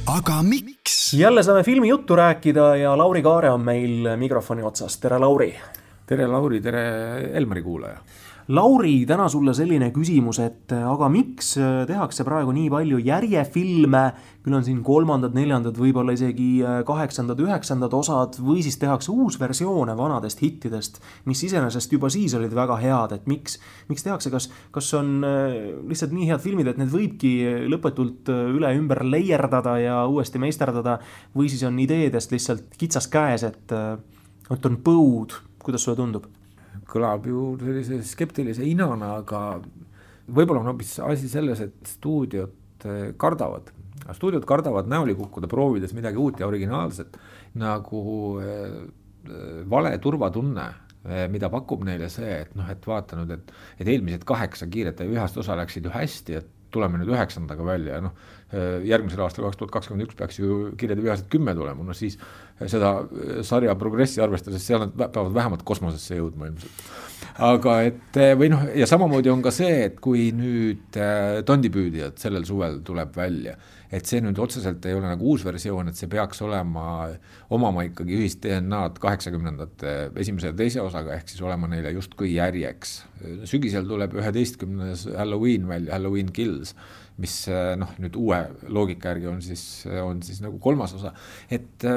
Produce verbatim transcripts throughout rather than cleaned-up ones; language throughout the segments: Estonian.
aga miks? Jälle saame filmi juttu rääkida ja Lauri Kaare on meil mikrofoni otsas. Tere, Lauri! Tere, Lauri! Tere, Elmari kuulaja! Lauri, täna sulle selline küsimus, et aga miks tehakse praegu nii palju järjefilme, küll on siin kolmandad, neljandad, võib-olla isegi kaheksandad, üheksandad osad, või siis tehakse uus versioone vanadest hittidest, mis iseenesest juba siis olid väga head, et miks, miks tehakse, kas, kas on lihtsalt nii head filmid, et need võibki lõpetult üle ümber leierdada ja uuesti meisterdada, või siis on ideedest lihtsalt kitsas käes, et, et on põud, kuidas sulle tundub? Kõlab ju sellise skeptilise inana, aga võib-olla on hoopis asi selles, et stuudiod kardavad. Stuudiod kardavad näoli kukkuda, proovides midagi uut ja originaalset, nagu vale turvatunne, mida pakub neile see, et, noh, et vaata nüüd, et, et eelmised kaheksa kiiret ja ühest osa läksid ju hästi, et tuleme nüüd üheksandaga välja ja noh, järgmisel aastal kaks tuhat kakskümmend üks peaks ju kirjade vihased kümme tulema, no siis seda sarja progressi arvestades seal nad peavad vähemalt kosmosesse jõudma ilmselt. Aga et, või noh, ja samamoodi on ka see, et kui nüüd Tondipüüdijad sellel suvel tuleb välja, et see nüüd otseselt ei ole nagu uus versioon, et see peaks olema omama ikkagi ühist D N A-d kaheksakümnendate esimese ja teise osaga, ehk siis olema neile justkui järjeks. Sügisel tuleb üheteistkümnes Halloween välja, Halloween Kills, mis noh, nüüd uue loogika järgi on siis, on siis nagu kolmas osa. Et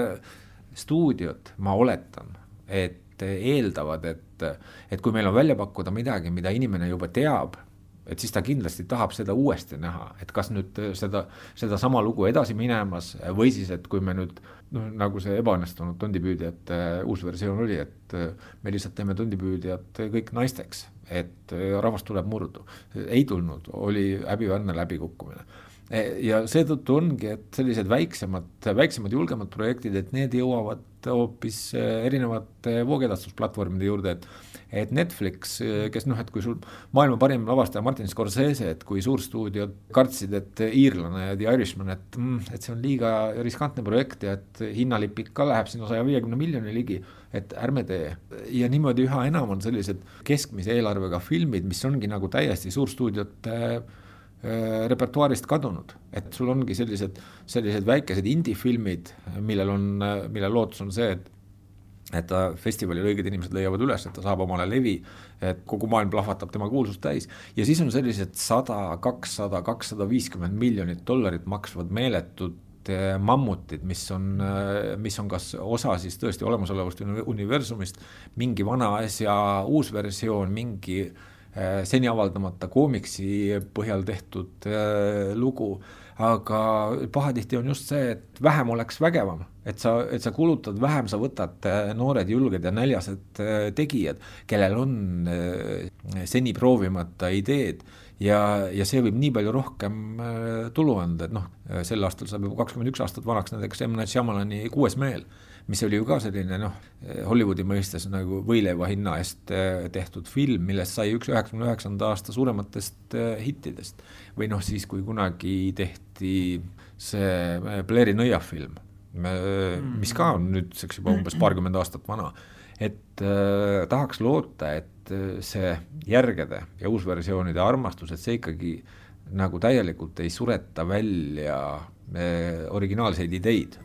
stuudiod, ma oletan, et eeldavad, et, et kui meil on välja pakkuda midagi, mida inimene juba teab, et siis ta kindlasti tahab seda uuesti näha, et kas nüüd seda, seda sama lugu edasi minemas või siis, et kui me nüüd, no, nagu see ebaõnnestunud Tondipüüdijad uus versioon oli, et me lihtsalt teeme Tondipüüdijad kõik naisteks, et rahvast tuleb murdu. Ei tulnud, oli häbiväärne läbikukkumine. Ja seetõttu ongi, et sellised väiksemad, väiksemad julgemad projektid, et need jõuavad hoopis erinevate voogedastusplatvormide juurde, et et Netflix, kes noh, et kui sul maailma parim lavastaja Martin Scorsese, et kui suurstuudiod kartsid, et iirlane ja The Irishman, et, et see on liiga riskantne projekt ja et hinnalipik ka läheb sinna saja viiekümne miljoni ligi, et ärme tee. Ja niimoodi üha enam on sellised keskmise eelarvega filmid, mis ongi nagu täiesti suurstuudiote repertuaarist kadunud, et sul ongi sellised, sellised väikesed indie-filmid, millel on, mille lootus on see, et et ta festivalil õiged inimesed leiavad üles, et ta saab omale levi, et kogu maailm plahvatab tema kuulsust täis. Ja siis on sellised sada, kakssada, kakssada viiskümmend miljonit dollarit maksvad meeletud mammutid, mis on, mis on kas osa siis tõesti olemasolevast universumist, mingi vana asja uus versioon, mingi seni avaldamata koomiksi põhjal tehtud lugu, aga pahatihti on just see, et vähem oleks vägevam, et sa, et sa kulutad vähem, sa võtad noored, julged ja näljased tegijad, kellel on seni proovimata ideed ja, ja see võib nii palju rohkem tulu anda, et noh, sel aastal saab juba kakskümmend üks aastat vanaks näiteks M. Night Shyamalani Kuues meel, mis oli ju ka selline noh, Hollywoodi mõistes nagu võileiva hinna eest tehtud film, millest sai üks üheksakümne üheksanda aasta suurematest hittidest. Või noh, siis kui kunagi tehti see Blairi nõiafilm, mis ka on nüüdseks juba umbes paarkümmend aastat vana, et äh, tahaks loota, et see järgede ja uusversioonide armastus, et see ikkagi nagu täielikult ei sureta välja äh, originaalseid ideid.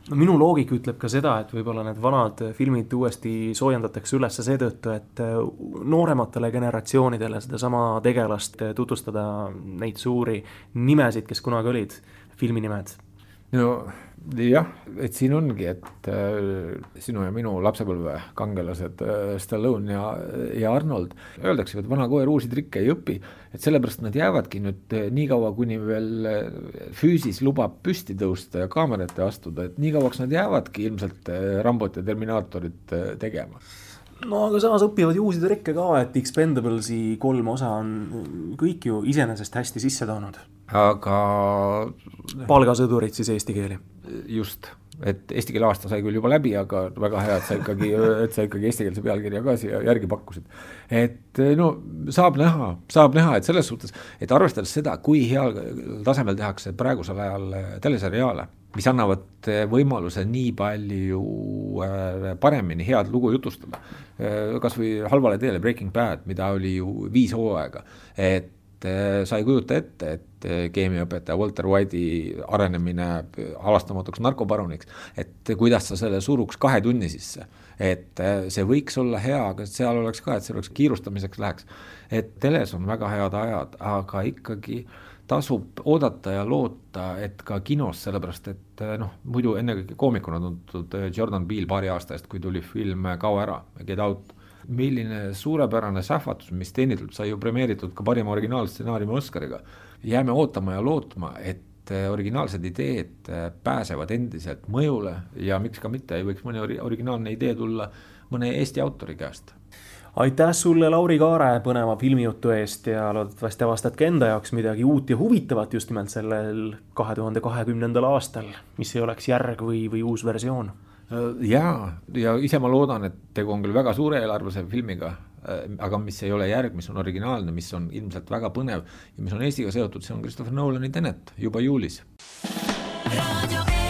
No minu loogik ütleb ka seda, et võib-olla need vanad filmid uuesti soojendatakse üles seetõttu, et noorematele generatsioonidele seda sama tegelast tutvustada neid suuri nimesid, kes kunagi olid, filminimed. No jah, et siin ongi, et äh, sinu ja minu lapsepõlve kangelased äh, Stallone ja, ja Arnold öeldakse, et vana koer uusi trikke ei õpi, et sellepärast nad jäävadki nüüd äh, nii kaua, kuni veel äh, füüsis lubab püsti tõusta ja kaamerate astuda, et nii kauaks nad jäävadki ilmselt äh, Rambot ja Terminaatorit äh, tegema. No aga samas õpivad ju uusi trikke ka, et Expendablesi kolm osa on kõik ju iseenesest hästi sisse toonud. Aga palgasõdurid siis eesti keeli. Just, et eesti keele aasta sai küll juba läbi, aga väga hea, et sa ikkagi, et sa ikkagi eestikeelse pealkirja ka siia järgi pakkusid. Et no saab näha, saab näha, et selles suhtes, et arvestades seda, kui heal tasemel tehakse praegusel ajal teleseriaale, mis annavad võimaluse nii palju paremini head lugu jutustada. Kas või halvale teele Breaking Bad, mida oli ju viis hooaega, et sa ei kujuta ette, et keemiaõpetaja Walter White'i arenemine halastamatuks narkoparuniks, et kuidas sa selle suruks kahe tunni sisse, et see võiks olla hea, aga seal oleks ka, et see oleks kiirustamiseks läheks, et teles on väga head ajad, aga ikkagi tasub oodata ja loota, et ka kinos, sellepärast et noh, muidu ennekõike koomikuna tuntud Jordan Peele paari aasta eest, kui tuli film Kao ära, Get Out, milline suurepärane sähvatus, mis teenitult sai ju premeeritud ka parima originaalstsenaariumi Oscariga. Jääme ootama ja lootma, et originaalsed ideed pääsevad endiselt mõjule ja miks ka mitte ei võiks mõne originaalne idee tulla mõne Eesti autori käest. Aitäh sulle, Lauri Kaare, põneva filmijutu eest ja loodetavasti avastadki enda jaoks midagi uut ja huvitavat just nimelt sellel kahe tuhande kahekümnendal aastal, mis ei oleks järg või, või uus versioon. Jaa, ja ise ma loodan, et tegu on küll väga suure eelarvuse filmiga, aga mis ei ole järg, mis on originaalne, mis on ilmselt väga põnev ja mis on Eestiga seotud, see on Christopher Nolani Tenet juba juulis. Radio